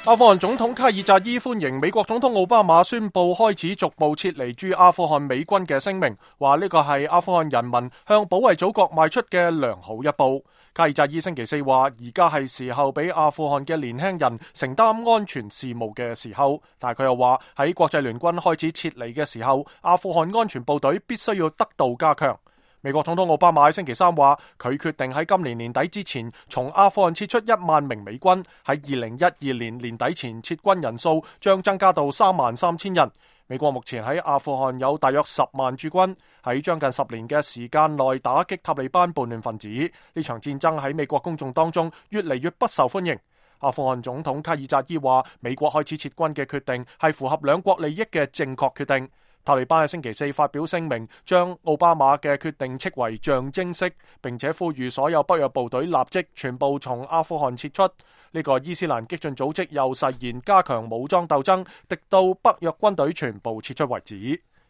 阿富汗總統卡爾扎伊歡迎美國總統奧巴馬宣布開始逐步撤離駐阿富汗美軍嘅聲明，話呢個係阿富汗人民向保衛祖國邁出嘅良好一步。卡爾扎伊星期四話，而家係時候俾阿富汗嘅年輕人承擔安全事務嘅時候，但係佢又話喺國際聯軍開始撤離嘅時候，阿富汗安全部隊必須要得到加強。美國總統奧巴馬星期三話，佢決定喺今年年底之前從阿富汗撤出1萬名美軍，喺2012年年底前撤軍人數將增加到33000人。美國目前喺阿富汗有大約10萬駐軍，喺將近10年嘅時間內打擊塔利班叛亂分子。呢場戰爭喺美國公眾當中越嚟越不受歡迎。阿富汗總統卡爾扎伊話，美國開始撤軍嘅決定係符合兩國利益嘅正確決定。塔利班喺星期四發表聲明，將奧巴馬嘅決定斥為象徵式，並且呼籲所有北約部隊立即全部從阿富汗撤出。呢個伊斯蘭激進組織又誓言加強武裝鬥爭，直到北約軍隊全部撤出為止。